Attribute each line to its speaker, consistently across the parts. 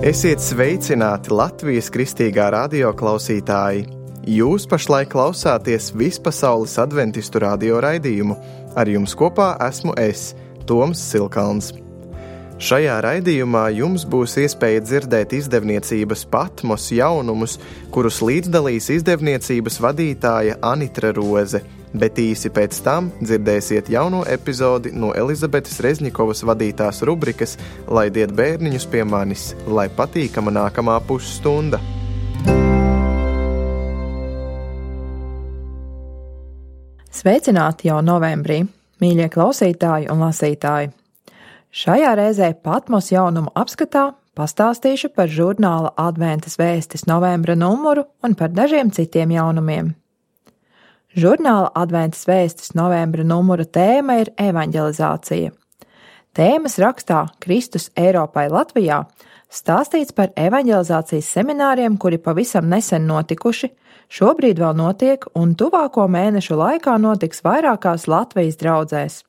Speaker 1: Esiet sveicināti Latvijas kristīgā radio klausītāji! Jūs pašlaik klausāties Vispasaules adventistu radio raidījumu. Ar jums kopā esmu es, Toms Silkalns. Šajā raidījumā jums būs iespēja dzirdēt izdevniecības Patmos jaunumus, kurus līdzdalīs izdevniecības vadītāja Anitra Roze, bet īsi pēc tam dzirdēsiet jauno epizodi no Elizabetes Rezņikovas vadītās rubrikas Laidiet bērniņus pie manis, lai patīkama nākamā pusstunda.
Speaker 2: Sveicināti jau novembrī, mīļie klausītāji un lasītāji! Šajā reizē Patmos jaunumu apskatā pastāstīšu par žurnāla Adventas vēstis novembra numuru un par dažiem citiem jaunumiem. Žurnāla Adventas vēstis novembra numura tēma ir evaņģelizācija. Tēmas rakstā Kristus Eiropai Latvijā stāstīts par evaņģelizācijas semināriem, kuri pavisam nesen notikuši, šobrīd vēl notiek un tuvāko mēnešu laikā notiks vairākās Latvijas draudzēs.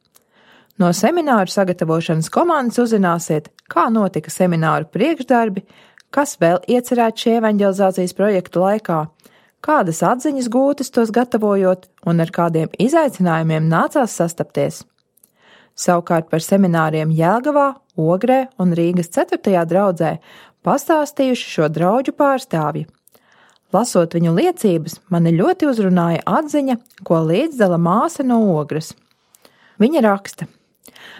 Speaker 2: No semināru sagatavošanas komandas uzzināsiet, kā notika semināru priekšdarbi, kas vēl iecerēts šī evaņģelizācijas projekta laikā, kādas atziņas gūtas tos gatavojot un ar kādiem izaicinājumiem nācās sastapties. Savukārt par semināriem Jelgavā, Ogrē un Rīgas 4. draudzē pastāstījuši šo draudžu pārstāvji. Lasot viņu liecības, mani ļoti uzrunāja atziņa, ko līdzdala māsa no Ogres. Viņa raksta: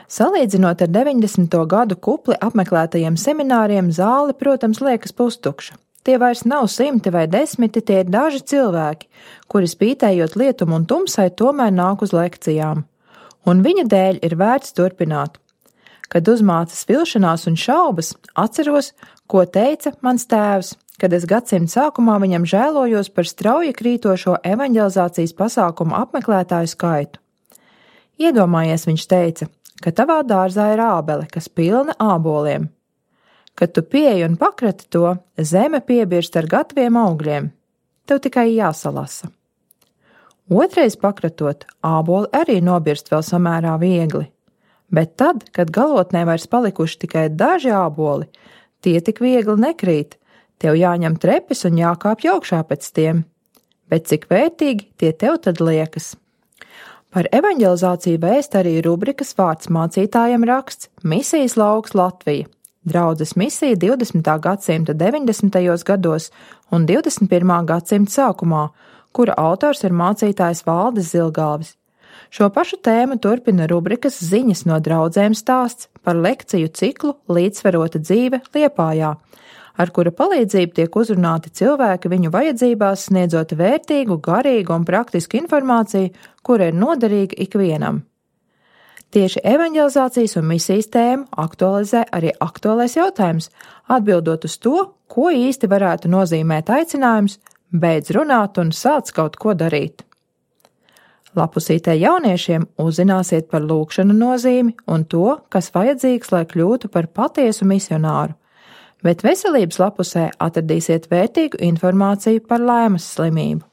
Speaker 2: salīdzinot ar 90. gadu kupli apmeklētajiem semināriem, zāle, protams, liekas pustukša. Tie vairs nav 100 vai 10, tie ir daži cilvēki, kuri spītējot lietumu un tumsai tomēr nāk uz lekcijām. Un viņa dēļ ir vērts turpināt. Kad uzmācas vilšanās un šaubas, atceros, ko teica mans tēvs, kad es gadsimta sākumā viņam žēlojos par strauji krītošo evaņģelizācijas pasākumu apmeklētāju skaitu. Iedomājies, viņš teica, ka tavā dārzā ir ābele, kas pilna āboliem. Kad tu pieeji un pakrati to, zeme piebirst ar gataviem augļiem. Tev tikai jāsalasa. Otrais pakratot, āboli arī nobirst vēl samērā viegli. Bet tad, kad galotnē vairs palikuši tikai daži āboli, tie tik viegli nekrīt. Tev jāņem trepes un jākāpj augšā pēc tiem. Bet cik vērtīgi tie tev tad liekas? Par evaņģelizāciju vēst arī rubrikas vārds mācītājiem raksts Misijas lauks Latvija, draudzes misija 20. gadsimta 90. gados un 21. gadsimta sākumā, kura autors ir mācītājs Valdis Zilgalvis. Šo pašu tēmu turpina rubrikas ziņas no draudzēm stāsts par lekciju ciklu Līdzsvarota dzīve Liepājā, ar kura palīdzību tiek uzrunāti cilvēki viņu vajadzībās, sniedzot vērtīgu, garīgu un praktisku informāciju, kura ir noderīga ikvienam. Tieši evaņģelizācijas un misijas tēmu aktualizē arī aktuālais jautājums, atbildot uz to, ko īsti varētu nozīmēt aicinājums beidz runāt un sāc kaut ko darīt. Lapusītē jauniešiem uzzināsiet par lūgšanu nozīmi un to, kas vajadzīgs, lai kļūtu par patiesu misionāru. Bet veselības lapusē atradīsiet vērtīgu informāciju par laimas slimību.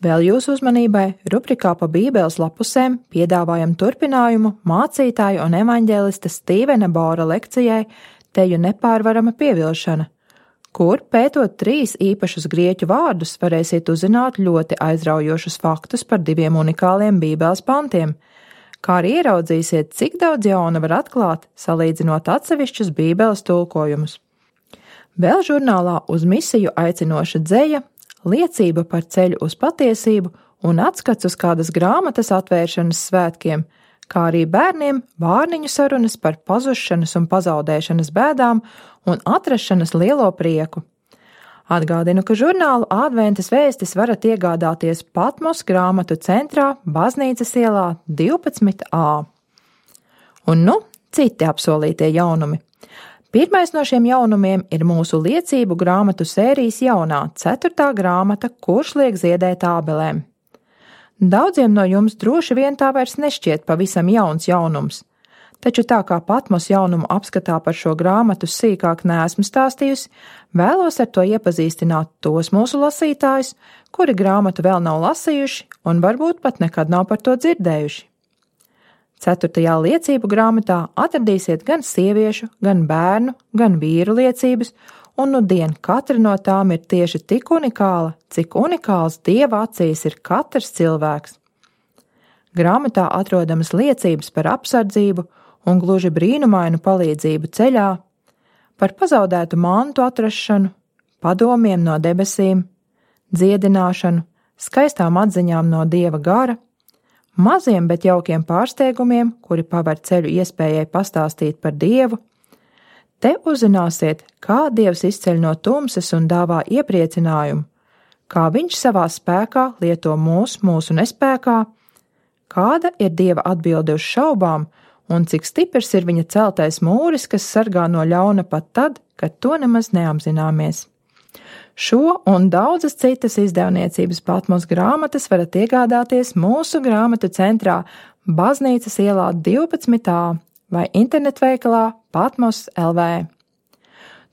Speaker 2: Vēl jūsu uzmanībai rubrikā pa Bībeles lapusēm piedāvājam turpinājumu mācītāju un evaņģēlista Stīvena Bora lekcijai Teju nepārvarama pievilšana, kur, pētot 3 īpašus grieķu vārdus, varēsiet uzzināt ļoti aizraujošus faktus par 2 unikāliem Bībeles pantiem, kā arī ieraudzīsiet, cik daudz jauna var atklāt, salīdzinot atsevišķus Bībeles tulkojumus. Vēl žurnālā uz misiju aicinoša dzeja, liecība par ceļu uz patiesību un atskats uz kādas grāmatas atvēršanas svētkiem, kā arī bērniem vārniņu sarunas par pazušanas un pazaudēšanas bēdām un atrašanas lielo prieku. Atgādinu, ka žurnālu Adventas vēstis varat iegādāties Patmos grāmatu centrā Baznīcas ielā 12a. Un citi apsolītie jaunumi. Pirmais no šiem jaunumiem ir mūsu liecību grāmatu sērijas jaunā 4. grāmata, kurš liek ziedēt ābelēm. Daudziem no jums droši vien tā vairs nešķiet pavisam jauns jaunums, taču tā kā Patmos jaunumu apskatā par šo grāmatu sīkāk neesmu stāstījusi, vēlos ar to iepazīstināt tos mūsu lasītājus, kuri grāmatu vēl nav lasījuši un varbūt pat nekad nav par to dzirdējuši. 4. liecību grāmatā atradīsiet gan sieviešu, gan bērnu, gan vīru liecības, un nudien katra no tām ir tieši tik unikāla, cik unikāls Dieva acīs ir katrs cilvēks. Grāmatā atrodamas liecības par apsardzību un gluži brīnumainu palīdzību ceļā, par pazaudētu mantu atrašanu, padomiem no debesīm, dziedināšanu, skaistām atziņām no Dieva gara, maziem, bet jaukiem pārsteigumiem, kuri paver ceļu iespējai pastāstīt par Dievu. Te uzzināsiet, kā Dievs izceļ no tumsas un dāvā iepriecinājumu, kā Viņš savā spēkā lieto mūsu nespēkā, kāda ir Dieva atbilde uz šaubām un cik stiprs ir Viņa celtais mūris, kas sargā no ļauna pat tad, kad to nemaz neapzināmies. Šo un daudzas citas izdevniecības Patmos grāmatas varat iegādāties mūsu grāmatu centrā Baznīcas ielā 12a vai internetveikalā Patmos LV.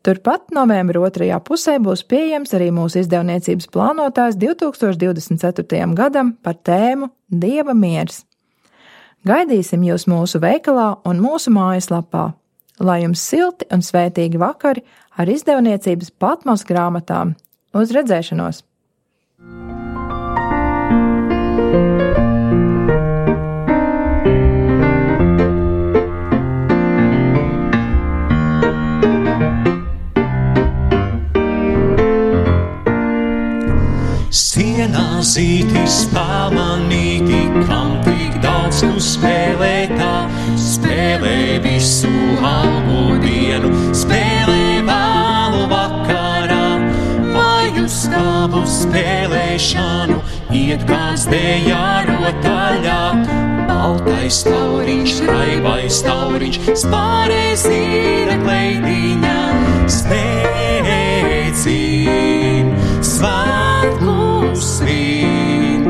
Speaker 2: Turpat novembra 2. pusē būs pieejams arī mūsu izdevniecības plānotājs 2024. gadam par tēmu Dieva miers. Gaidīsim jūs mūsu veikalā un mūsu mājaslapā. Lai jums silti un svētīgi vakari ar izdevniecības Patmos grāmatām. Uz redzēšanos!
Speaker 3: Sienā zītis pamanīti, kam tik daudz tu spēlētā, spēlē visu algu dienu, spēlē vēlu vakarā, vai uz tavu spēlēšanu iet kāds dējā rotaļā. Baltais tauriņš, raibais tauriņš, spārē zīra kleidiņā, spēcīn, svētku svin,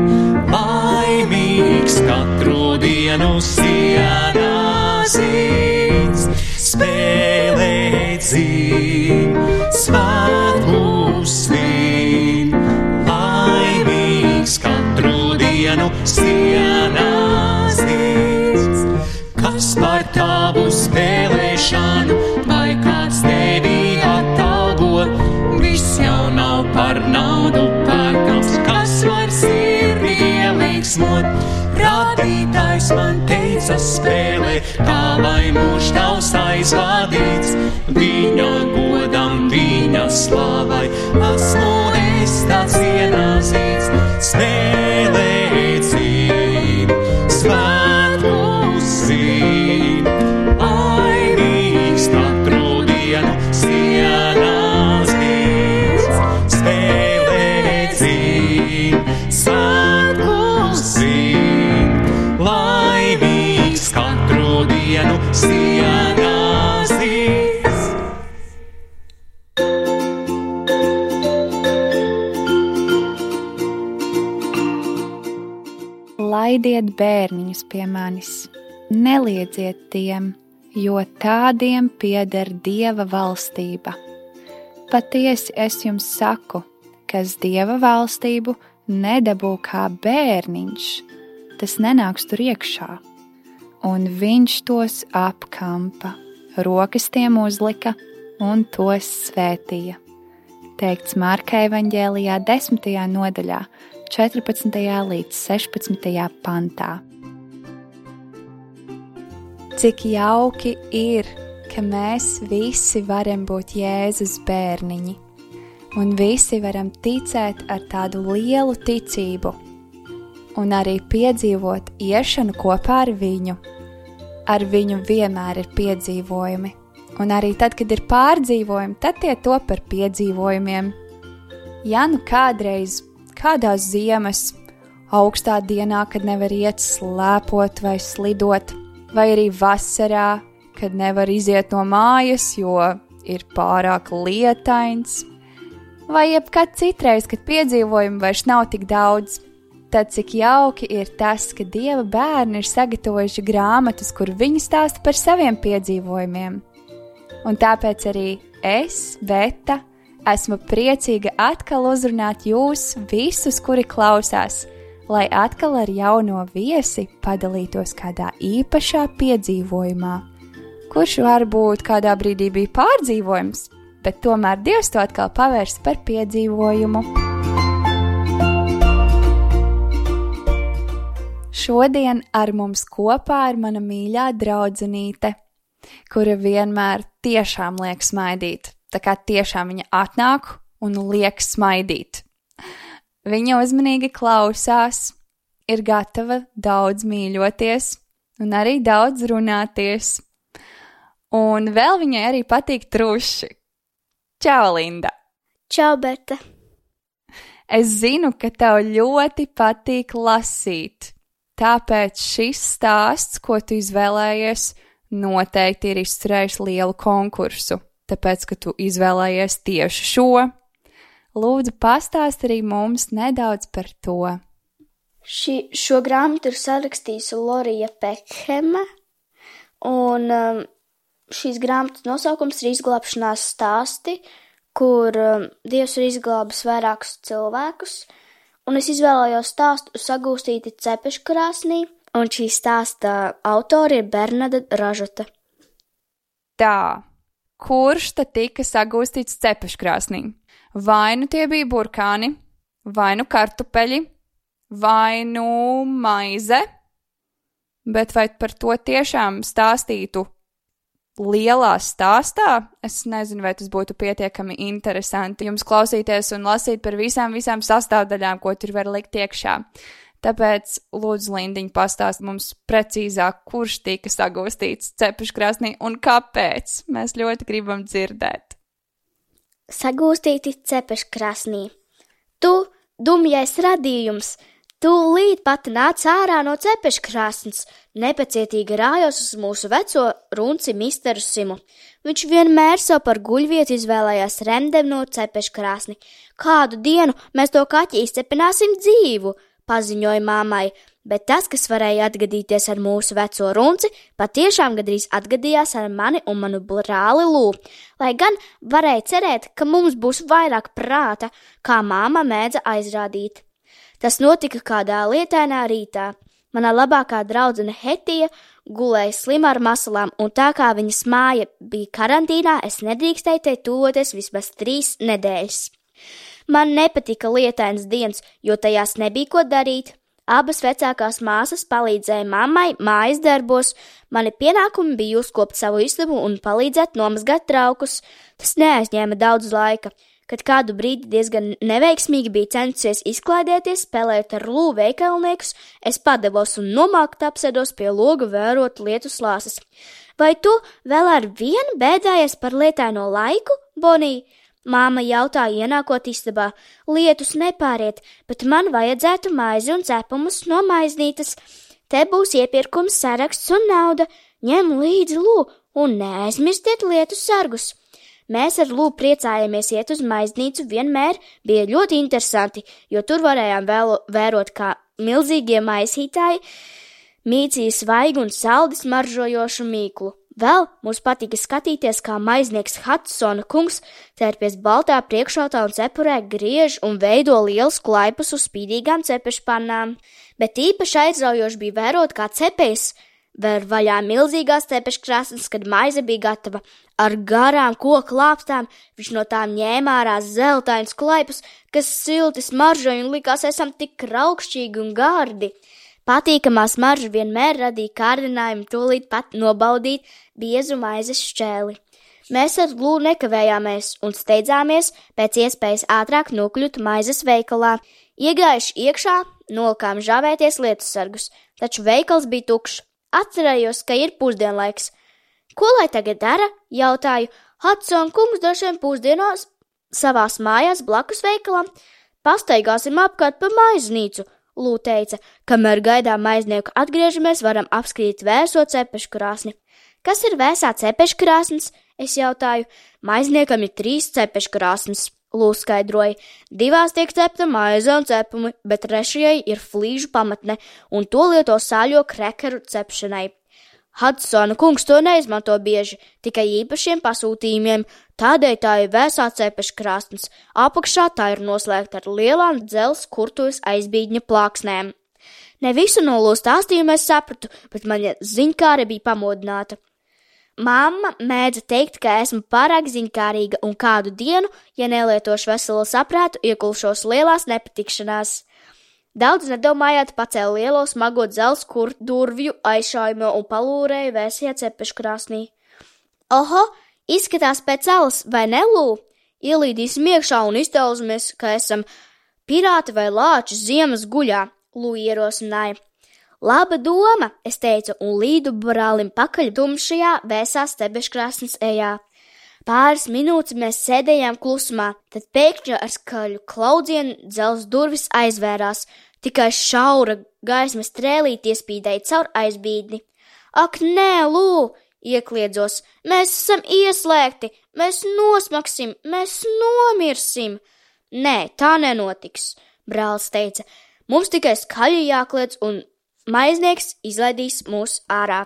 Speaker 3: laimīgs katru dienu sienā zīts, spēlē dzīn, svētku svin, laimīgs katru dienu sienā zīts. Kas par tavu spēlēšanu, vai kāds tevi atalgo, viss jau nav par naudu pērkams, kas var sirdi ielīgsmot. Radītājs man teica spēlē, kā lai mūžs tavs aizvadīts, viņa godam, viņa slavai, esmu es tāds ienāzīts, spēlē dzīv, svētku svin, laimīgs katru dienu sienās zīts, spēlē dzīv, svētku svin, laimīgs katru dienu sienās zīts.
Speaker 4: Laidiet bērniņus pie manis, neliedziet tiem, jo tādiem pieder Dieva valstība. Patiesi es jums saku, kas Dieva valstību nedabū kā bērniņš, tas nenāks tur iekšā. Un viņš tos apkampa, rokas tiem uzlika un tos svētīja. Teikts Marka evaņģēlijā 10. nodaļā, 14. līdz 16. pantā. Cik jauki ir, ka mēs visi varam būt Jēzus bērniņi, un visi varam ticēt ar tādu lielu ticību, un arī piedzīvot iešanu kopā ar viņu. Ar viņu vienmēr ir piedzīvojumi, un arī tad, kad ir pārdzīvojumi, tad tie top par piedzīvojumiem. Ja nu kādreiz kādās ziemas, augstā dienā, kad nevar iet slēpot vai slidot, vai arī vasarā, kad nevar iziet no mājas, jo ir pārāk lietains, vai jebkad citreiz, kad piedzīvojumi vairs nav tik daudz, tad cik jauki ir tas, ka Dieva bērni ir sagatavojuši grāmatas, kur viņi stāsta par saviem piedzīvojumiem. Un tāpēc arī es, Beta, esmu priecīga atkal uzrunāt jūs visus, kuri klausās, lai atkal ar jauno viesi padalītos kādā īpašā piedzīvojumā, kurš varbūt kādā brīdī bija pārdzīvojums, bet tomēr Dievs to atkal pavērs par piedzīvojumu. Šodien ar mums kopā ir mana mīļā draudzenīte, kura vienmēr tiešām liek smaidīt, tā kā tiešām viņa atnāk un liek smaidīt. Viņa uzmanīgi klausās, ir gatava daudz mīļoties un arī daudz runāties. Un vēl viņai arī patīk truši. Čau, Linda!
Speaker 5: Čau, Berta!
Speaker 4: Es zinu, ka tev ļoti patīk lasīt. Tāpēc šis stāsts, ko tu izvēlējies, noteikti ir izturējis lielu konkursu, tāpēc, ka tu izvēlējies tieši šo. Lūdzu, pastāst arī mums nedaudz par to.
Speaker 5: Šo grāmatu ir sarakstījusi Lorija Pekheme, un šīs grāmatas nosaukums ir Izglābšanās stāsti, kur Dievs ir izglābis vairākus cilvēkus. Un es izvēlējos stāstu Sagūstīti cepeškrāsnī, un šī stāsta autori ir Bernadeta Ražota.
Speaker 4: Tā, kurš tad tika sagūstīts cepeškrāsnī? Vai nu tie bija burkāni, vai nu kartupeļi, vai nu maize? Bet vai par to tiešām stāstītu lielā stāstā? Es nezinu, vai tas būtu pietiekami interesanti jums klausīties un lasīt par visām sastāvdaļām, ko tur var likt iekšā. Tāpēc, lūdzu, Lindiņ, pastāst mums precīzāk, kurš tika sagūstīts cepeškrāsnī un kāpēc. Mēs ļoti gribam dzirdēt.
Speaker 5: Sagūstīti cepeškrāsnī. Tu, dumjais radījums, tūlīt pat nāc ārā no cepeškrāsnes, nepacietīgi rājos uz mūsu veco runci misteru Simu. Viņš vienmēr sev par guļvietu izvēlējās remdem no cepeškrāsni. Kādu dienu mēs to kaķi izcepināsim dzīvu, paziņoja māmai, bet tas, kas varēja atgadīties ar mūsu veco runci, patiešām gadrīz atgadījās ar mani un manu brāli Lū, lai gan varēja cerēt, ka mums būs vairāk prāta, kā māma mēdza aizrādīt. Tas notika kādā lietainā rītā. Mana labākā draudzene Hetija gulēja slima ar masalām, un tā kā viņas māja bija karantīnā, es nedrīkstēju te tuvoties vismaz 3 nedēļas. Man nepatika lietainas dienas, jo tajās nebija ko darīt. Abas vecākās māsas palīdzēja mammai mājas darbos, mani pienākumi bija uzkopt savu istabu un palīdzēt nomazgāt traukus. Tas neaizņēma daudz laika. Kad kādu brīdi diezgan neveiksmīgi bija censies izklaidēties, spēlējot ar Lū veikalniekus, es padevos un nomākti apsēdos pie loga vērot lietu slāsas. Vai tu vēl ar vienu bēdājies par lietaino laiku, Bonī? Māma jautāja ienākot istabā. Lietus nepāriet, bet man vajadzētu maizi un cepumus no maiznītes. Te būs iepirkums saraksts un nauda. Ņem līdzi Lū un neaizmirstiet lietu sargus. Mēs ar Lū priecājāmies iet uz maiznīcu, vienmēr bija ļoti interesanti, jo tur varējām vērot, kā milzīgie maisītāji mīcīja svaigu un saldi smaržojošu mīklu. Vēl mums patika skatīties, kā maiznieks Hudsona kungs tērpies baltā priekšautā un cepurē griež un veido lielus klaipus uz spīdīgām cepešpannām. Bet īpaši aizraujoši bija vērot, kā cepējs ver vaļā milzīgās cepeškrāsnes, kad maize bija gatava. Ar garām koku lāpstām viņš no tām ņēma ārā zeltainus klaipus, kas silti smaržoja un likās esam tik raukšķīgi un gardi. Patīkamā smarža vienmēr radīja kārdinājumu tūlīt pat nobaudīt biezu maizes šķēli. Mēs ar Lū nekavējāmies un steidzāmies pēc iespējas ātrāk nokļūt maizes veikalā. Iegājuši iekšā, nolikām žāvēties lietusargus, taču veikals bija tukšs. Atcerējos, ka ir pusdienlaiks. Ko lai tagad dara? Jautāju. Hudsona kungs droši vien pusdienos savās mājās blakus veikalam. Pastaigāsim apkārt pa maiznīcu, Lū teica. Kamēr gaidām maiznieku atgriežamies, varam apskatīt vēso cepeškrāsni. Kas ir vēsā cepeškrāsnes? Es jautāju. Maizniekam ir 3 cepeškrāsnes, Lū skaidroja. 2 tiek cepta maize un cepumi, bet 3 ir flīžu pamatne, un to lieto sāļo krekeru cepšanai. Hudsona kungs to neizmanto bieži, tikai īpašiem pasūtījumiem, tādēļ tā ir vēsā cepeškrāsnes. Apakšā tā ir noslēgta ar lielām dzelzs kurtuves aizbīdņa plāksnēm. Ne visu no Lū stāstījuma es sapratu, bet mana ziņkāre bija pamodināta. Mamma mēdza teikt, ka esmu pārāk ziņkārīga un kādu dienu, ja nelietošu veselo saprātu, iekulšos lielās nepatikšanās. Daudz nedomājot pacēla lielo smago dzelzs durvju aizšājumu un palūrēja vēsajā cepeškrāsnī. Oho, izskatās pēc alas, vai ne, Lū? Ielīdīsim iekšā un iztēlosimies, ka esam pirāti vai lāči ziemas guļā, Lū ierosināja. Laba doma, es teicu, un līdu brālim pakaļ tumšajā vēsās cepeškrāsnes ejā. Pāris minūtes mēs sēdējām klusumā, tad pēkšņi ar skaļu klaudzienu dzelzs durvis aizvērās, tikai šaura gaismas strēlīte iespīdēja caur aizbīdni. Ak, nē, Lū, iekliedzos, mēs esam ieslēgti, mēs nosmaksim, mēs nomirsim. Nē, tā nenotiks, brālis teica, mums tikai skaļi jākliedz un maiznieks izlaidīs mūs ārā.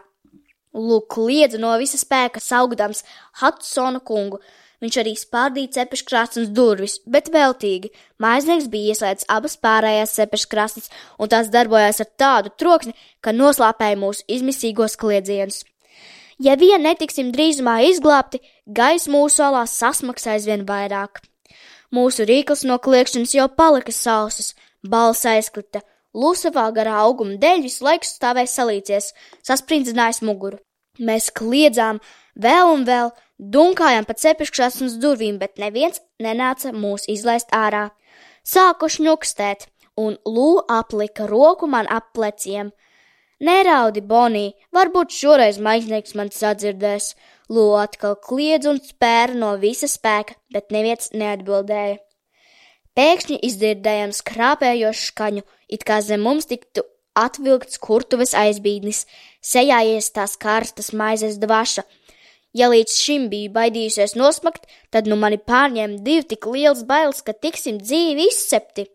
Speaker 5: Lūk, kliedza no visa spēka saugdams Hudsona kungu. Viņš arī spārdīja cepeškrāsnes durvis, bet veltīgi. Maiznieks bija ieslēdzis abas pārējās cepeškrāsnes, un tās darbojās ar tādu troksni, ka noslāpēja mūsu izmisīgos kliedzienus. Ja vien netiksim drīzumā izglābti, gaiss mūsu alās sasmaks aizvien vairāk. Mūsu rīkls no kliekšanas jau palika sausas, balss aizklita. Lū savā garā auguma dēļ visu laiku stāvēja salīcies, sasprindzinājis muguru. Mēs kliedzām vēl un vēl, dunkājām pa cepeškrāsnes durvīm, bet neviens nenāca mūs izlaist ārā. Sāku šņukstēt, un Lū aplika roku man ap pleciem. Neraudi, Bonī, varbūt šoreiz maiznieks man sadzirdēs. Lū atkal kliedz un spēra no visa spēka, bet neviens neatbildēja. Pēkšņi izdzirdējām skrāpējošu skaņu, it kā zem mums tiktu atvilkts kurtuves aizbīdnis, sejā iestās karstas maizes dvaša. Ja līdz šim biju baidījusies nosmakt, tad nu mani pārņēma divi tik liels bailes, ka tiksim dzīvi izcepti.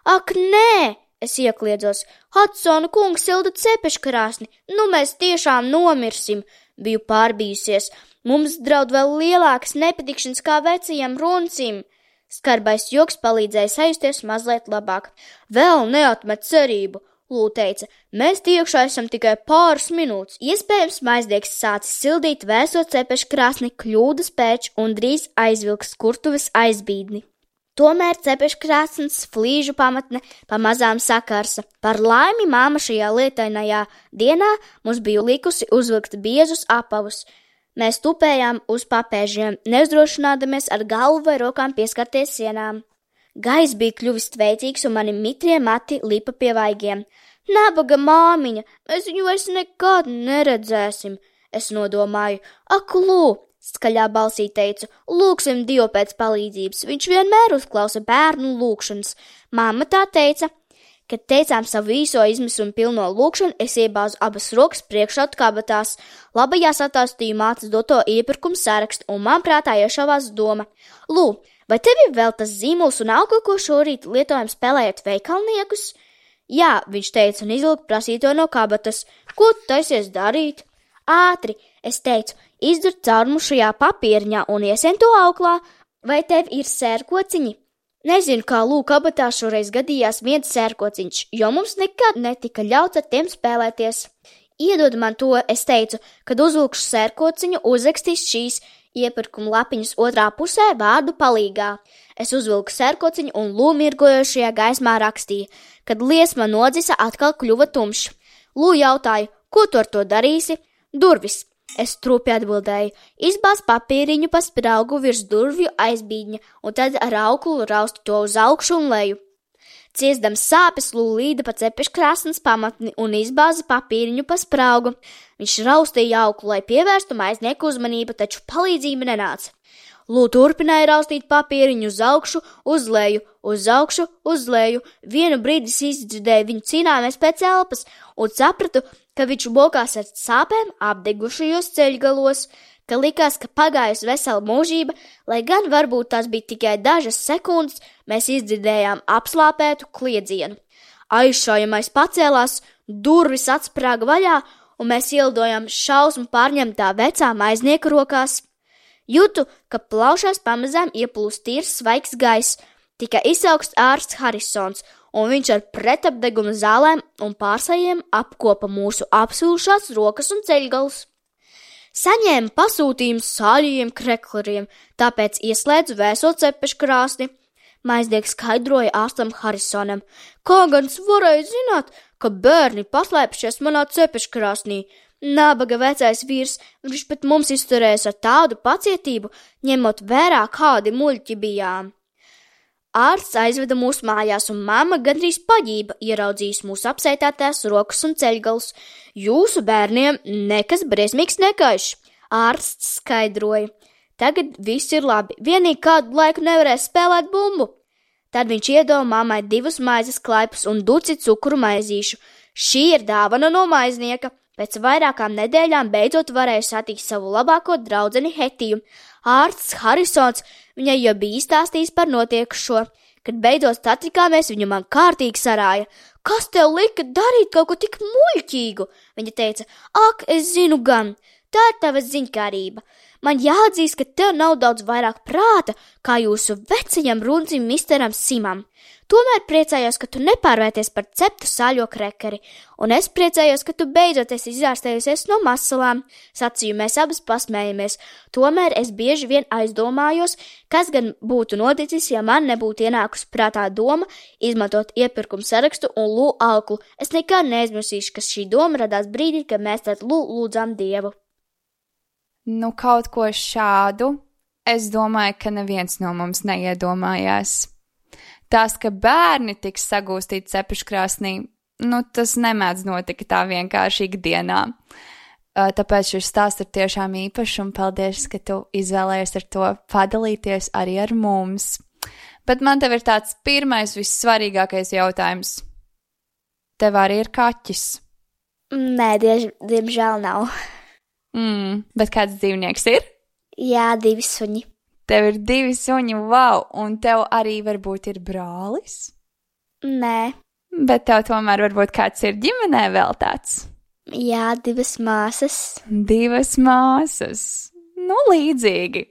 Speaker 5: Ak, nē, es iekliedzos, Hudsona kungs silda cepeškrāsni, nu mēs tiešām nomirsim, biju pārbījusies, mums draud vēl lielākas nepatikšanas kā vecajam runcim. Skarbais joks palīdzēja sajusties mazliet labāk. Vēl neatmet cerību, Lū teica, mēs tiekšā esam tikai pāris minūtes. Iespējams, maiznieks sācis sildīt vēso cepeškrāsni kļūdas pēc un drīz aizvilks kurtuves aizbīdni. Tomēr cepeškrāsnes flīžu pamatne pamazām sakarsa. Par laimi māma šajā lietainajā dienā mums bija likusi uzvilkt biezus apavus. Mēs tupējām uz papēžiem, neuzdrošinādamies ar galvu vai rokām pieskarties sienām. Gaiss bija kļuvis tveicīgs un mani mitrie mati lipa pie vaigiem. Nabaga māmiņa, mēs viņu vairs nekad neredzēsim, es nodomāju. Ak, Lū, skaļā balsī teicu, lūksim Dievu pēc palīdzības, viņš vienmēr uzklausa bērnu lūkšanas. Mamma tā teica. Kad teicām savu īso izmisumu pilno lūkšanu, es iebāzu abas rokas priekšautu kabatās. Labajās attāstīju mātes doto iepirkumu sarakstu, un man prātā iešāvās doma. Lū, vai tev ir vēl tas zīmols un auga, ko šorīt lietojam spēlējot veikalniekus? Jā, viņš teica un izvilka prasīto no kabatas. Ko tu taisies darīt? Ātri, es teicu, izdur caurumu šajā papīriņā un iesien to auklā. Vai tev ir sērkociņi? Nezinu, kā Lū kabatā šoreiz gadījās viens sērkociņš, jo mums nekad netika ļauts ar tiem spēlēties. Iedod man to, es teicu, kad uzvilkšu sērkociņu, uzrakstīs šīs iepirkuma lapiņas otrā pusē vārdu palīgā. Es uzvilku sērkociņu un Lū mirgojošajā gaismā rakstīja, kad liesma nodzisa atkal kļuva tumšs. Lū jautāja, ko tu ar to darīsi? Durvis. Es trūpi atbildēju, izbāz papīriņu pa spraugu virs durvju aizbīdņa un tad ar auklu raustu to uz augšu un leju. Ciesdams sāpes, Lū līda pa cepeškrāsnes pamatni un izbāza papīriņu pa spraugu. Viņš raustīja auklu, lai pievērstu maiznieku uzmanību, taču palīdzība nenāca. Lū turpināja raustīt papīriņu uz augšu, uz leju, uz augšu, uz leju. Vienu brīdi izdzirdēju viņu cīnāmies pēc elpas un sapratu, ka viņš mokās ar sāpēm apdegušajos ceļgalos, ka likās, ka pagājusi vesela mūžība, lai gan varbūt tās bija tikai dažas sekundes, mēs izdzirdējām apslāpētu kliedzienu. Aizšaujamais pacēlās, durvis atsprāga vaļā, un mēs ielidojām šausmu pārņemtā vecā maiznieka rokās. Jūtu, ka plaušās pamazām ieplūst tīrs svaigs gaiss, tika izsaukts ārsts Harisons, un viņš ar pretapdeguma zālēm un pārsējiem apkopa mūsu apsūšās rokas un ceļgalus. Saņēma pasūtījumus sāļajiem krekleriem, tāpēc ieslēdzu vēso cepeškrāsni. Maiznieks skaidroja ārstam Harisonam, kā gan varēja zināt, ka bērni paslēpšies manā cepeškrāsnī. Nabaga vecais vīrs, viņš pēc mums izturējas ar tādu pacietību, ņemot vērā, kādi muļķi bijām. Ārsts aizveda mūs mājās, un mamma gandrīz paģība ieraudzījis mūsu apsētātās rokas un ceļgalus. Jūsu bērniem nekas briesmīgs nekaiš, ārsts skaidroja. Tagad viss ir labi, vienīgi kādu laiku nevarēs spēlēt bumbu. Tad viņš iedeva mammai 2 maizes klaipus un duci cukuru maizīšu. Šī ir dāvana no maiznieka. Pēc vairākām nedēļām beidzot varēja satikt savu labāko draudzeni Hetiju. Ārsts Harisons viņai jau bija izstāstījis par notiekušo. Kad beidzot satikāmies, viņa man kārtīgi sarāja. Kas tev lika darīt kaut ko tik muļķīgu? Viņa teica, ak, es zinu gan, tā ir tava ziņkārība. Man jāatzīst, ka tev nav daudz vairāk prāta, kā jūsu vecajam runcim misteram Simam. Tomēr priecājos, ka tu nepārvērties par ceptu sāļo krekeri, un es priecājos, ka tu beidzot esi izārstējusies no masalām. Sacīju, mēs abas pasmējamies. Tomēr es bieži vien aizdomājos, kas gan būtu noticis, ja man nebūtu ienākusi prātā doma izmantot iepirkumu sarakstu un Lū auklu. Es nekad neaizmirsīšu, ka šī doma radās brīdī, kad mēs tad lūdzām Dievu.
Speaker 4: Nu, kaut ko šādu, es domāju, ka neviens no mums neiedomājās. Tas, ka bērni tiks sagūstīti cepeškrāsnī, nu, tas nemēdz notika tā vienkārši ikdienā. Tāpēc šis stāsts ir tiešām īpašs, un paldies, ka tu izvēlējies ar to padalīties arī ar mums. Bet man tev ir tāds pirmais, vissvarīgākais jautājums. Tev arī ir kaķis?
Speaker 5: Nē, diemžēl nav.
Speaker 4: Bet kāds dzīvnieks ir?
Speaker 5: Jā, 2 suņi.
Speaker 4: Tev ir 2 suņi, wow, un tev arī varbūt ir brālis?
Speaker 5: Nē.
Speaker 4: Bet tev tomēr varbūt kāds ir ģimenē vēl tāds?
Speaker 5: Jā, 2 māsas.
Speaker 4: 2 māsas. Nu, līdzīgi.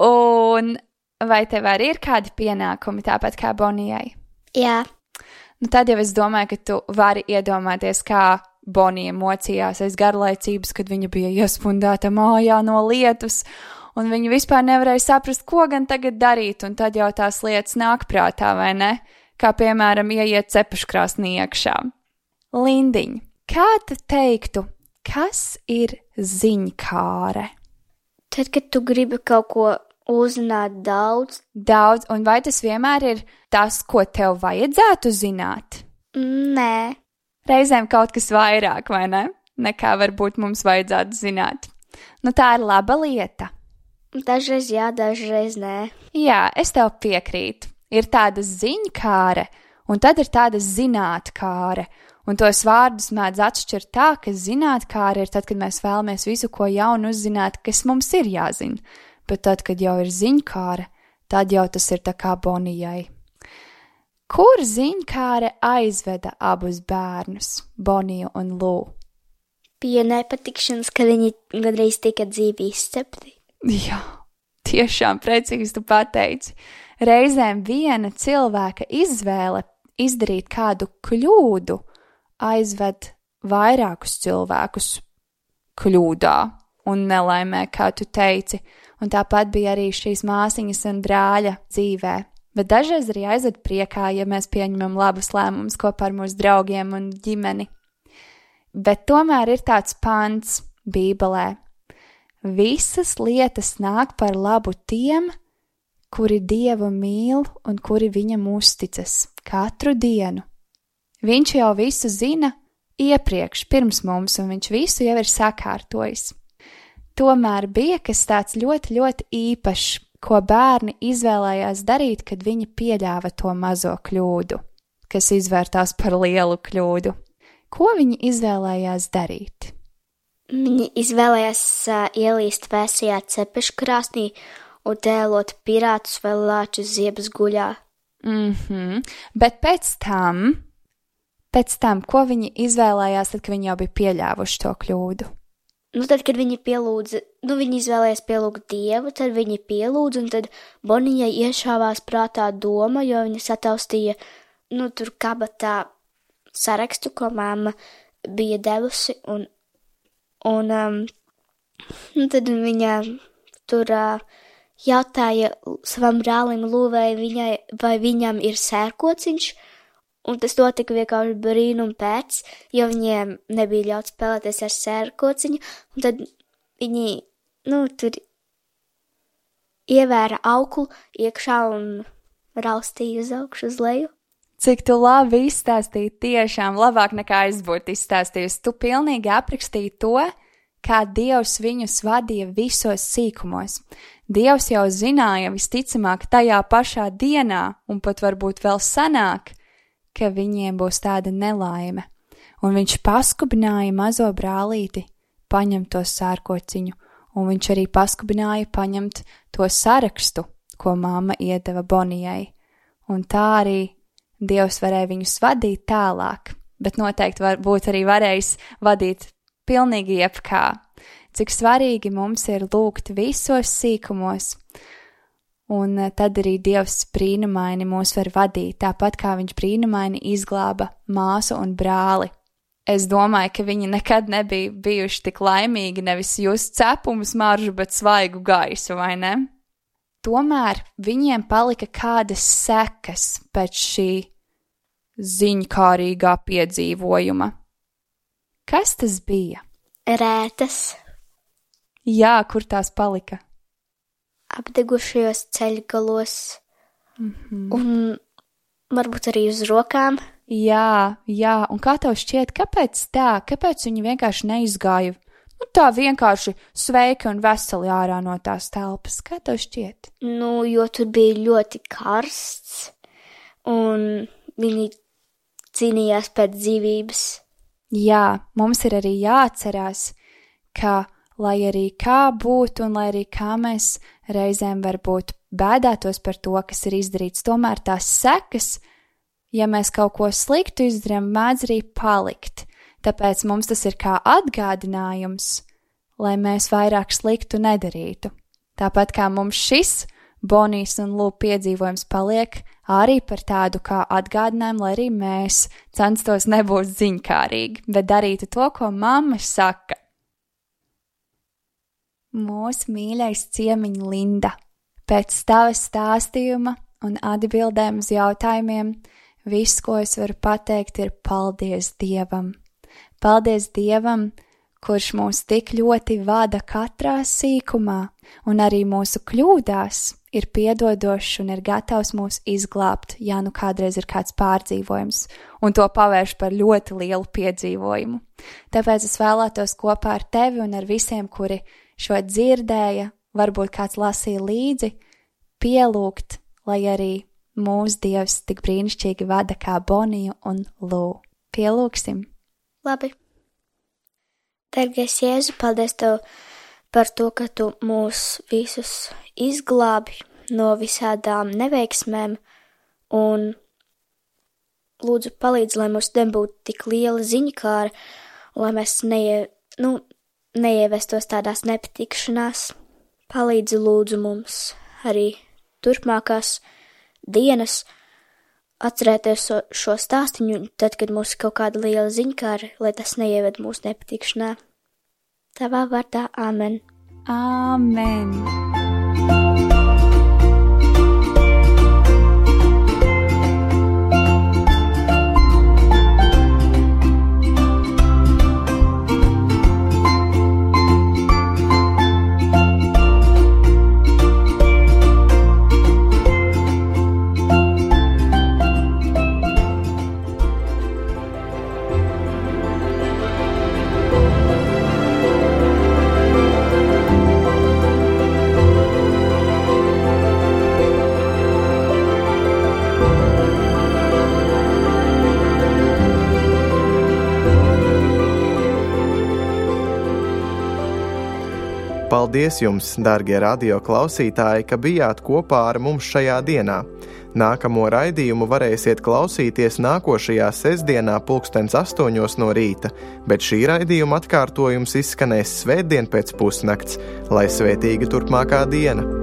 Speaker 4: Un vai tev arī ir kādi pienākumi tāpat kā Bonijai?
Speaker 5: Jā.
Speaker 4: Nu, tad jau es domāju, ka tu vari iedomāties, kā Bonija mocījās aiz garlaicības, kad viņa bija iespundēta mājā no lietus, un viņa vispār nevarēja saprast, ko gan tagad darīt, un tad jau tās lietas nāk prātā, vai ne? Kā, piemēram, ieiet cepeškrāsnī iekšā. Lindiņ, kā tu teiktu, kas ir ziņkāre?
Speaker 5: Tad, kad tu gribi kaut ko uzzināt daudz.
Speaker 4: Daudz, un vai tas vienmēr ir tas, ko tev vajadzētu zināt?
Speaker 5: Nē.
Speaker 4: Reizēm kaut kas vairāk, vai ne? Nekā varbūt mums vajadzētu zināt. Nu, tā ir laba lieta.
Speaker 5: Dažreiz jā, dažreiz nē.
Speaker 4: Jā, es tev piekrītu. Ir tāda ziņkāre, un tad ir tāda zinātkāre. Un tos vārdus mēdz atšķirt tā, ka zinātkāre ir tad, kad mēs vēlamies visu, ko jaunu uzzināt, kas mums ir jāzina. Bet tad, kad jau ir ziņkāre, tad jau tas ir tā kā Bonijai. Kur ziņkāre aizveda abus bērnus, Boniju un Lū?
Speaker 5: Pie nepatikšanas, kad viņi gandrīz tika dzīvi izcepti.
Speaker 4: Jā, tiešām precīzi tu pateici. Reizēm viena cilvēka izvēle izdarīt kādu kļūdu aizved vairākus cilvēkus kļūdā un nelaimē, kā tu teici. Un tāpat bija arī šīs māsiņas un brāļa dzīvē. Bet dažreiz arī aizved priekā, ja mēs pieņemam labus lēmumus kopā ar mūsu draugiem un ģimeni. Bet tomēr ir tāds pants Bībelē. Visas lietas nāk par labu tiem, kuri Dievu mīl un kuri viņam uzticas katru dienu. Viņš jau visu zina iepriekš, pirms mums, un viņš visu jau ir sakārtojis. Tomēr bija kas tāds ļoti, ļoti īpašs, ko bērni izvēlējās darīt, kad viņi pieļāva to mazo kļūdu, kas izvērtās par lielu kļūdu. Ko viņi izvēlējās darīt?
Speaker 5: Viņi izvēlējās ielīst vēsajā cepeškrāsnī un tēlot pirātus vai lāčus ziebas guļā.
Speaker 4: Bet pēc tam, ko viņi izvēlējās, tad, kad viņi jau bija pieļāvuši to kļūdu?
Speaker 5: Nu, tad, kad viņi viņi izvēlējās pielūgt Dievu, tad viņi pielūdz, un tad Bonijai iešāvās prātā doma, jo viņa sataustīja tur kabatā sarakstu, ko mamma bija devusi, un tad viņa tur jautāja savam brālim Lūvai, vai viņam ir sērkociņš, un tas notika vienkārši brīnum pēc, jo viņiem nebija ļauts spēlēties ar sērkociņu, un tad viņi, tur ievēra auklu iekšā un raustīja uz augšu uz leju.
Speaker 4: Cik tu labi izstāstīji, tiešām labāk nekā es būtu izstāstījusi. Tu pilnīgi aprakstīji to, kā Dievs viņus vadīja visos sīkumos. Dievs jau zināja visticamāk tajā pašā dienā, un pat varbūt vēl senāk, ka viņiem būs tāda nelaime. Un viņš paskubināja mazo brālīti paņemt to sērkociņu, un viņš arī paskubināja paņemt to sarakstu, ko mamma iedeva Bonijai. Un tā arī Dievs varēja viņus vadīt tālāk, bet noteikti varbūt arī varējis vadīt pilnīgi jebkā. Cik svarīgi mums ir lūgt visos sīkumos, un tad arī Dievs brīnumaini mūs var vadīt, tāpat kā viņš brīnumaini izglāba māsu un brāli. Es domāju, ka viņi nekad nebija bijuši tik laimīgi nevis just cepumu smaržu, bet svaigu gaisu, vai ne? Tomēr viņiem palika kādas sekas pēc šī ziņkārīgā piedzīvojuma. Kas tas bija?
Speaker 5: Rētas.
Speaker 4: Jā, kur tās palika?
Speaker 5: Apdegušajos ceļgalos. Un varbūt arī uz rokām.
Speaker 4: Jā, un kā tev šķiet, kāpēc tā? Kāpēc viņi vienkārši neizgāja? Tā vienkārši sveiki un veseli ārā no tās telpas. Kā tev šķiet?
Speaker 5: Jo tur bija ļoti karsts, un viņi cīnījās pēc dzīvības.
Speaker 4: Jā, mums ir arī jāatcerās, ka, lai arī kā būtu un lai arī kā mēs reizēm varbūt bēdātos par to, kas ir izdarīts, tomēr tās sekas, ja mēs kaut ko sliktu izdarām, mēdz arī palikt. Tāpēc mums tas ir kā atgādinājums, lai mēs vairāk sliktu nedarītu. Tāpat kā mums šis Bonijas un Lū piedzīvojums paliek arī par tādu kā atgādinājumu, lai arī mēs censtos nebūt ziņkārīgi, bet darītu to, ko mamma saka. Mūsu mīļais ciemiņ Linda, pēc tavas stāstījuma un atbildēm uz jautājumiem, viss, ko es varu pateikt, ir paldies Dievam. Paldies Dievam, kurš mūs tik ļoti vada katrā sīkumā, un arī mūsu kļūdās ir piedodošs un ir gatavs mūs izglābt, ja nu kādreiz ir kāds pārdzīvojums, un to pavērš par ļoti lielu piedzīvojumu. Tāpēc es vēlētos kopā ar tevi un ar visiem, kuri šo dzirdēja, varbūt kāds lasīja līdzi, pielūgt, lai arī mūsu Dievs tik brīnišķīgi vada kā Boniju un Lū. Pielūgsim!
Speaker 5: Labi. Dargais Jēzu, paldies Tev par to, ka Tu mūs visus izglābi no visādām neveiksmēm un lūdzu palīdz, lai mums nebūtu tik liela ziņkāra, lai mēs neievestos tādās nepatikšanās. Palīdzi lūdzu mums arī turpmākās dienas atcerēties šo stāstiņu, tad, kad mums ir kaut kāda liela ziņkāra, lai tas neieved mūsu nepatikšanā. Tavā vārdā, āmen.
Speaker 4: Āmen.
Speaker 1: Paldies jums, dārgie radio klausītāji, ka bijāt kopā ar mums šajā dienā. Nākamo raidījumu varēsiet klausīties nākošajā sestdienā 8:00 no rīta, bet šī raidījuma atkārtojums izskanēs svētdien pēc pusnakts, lai svētīga turpmākā diena.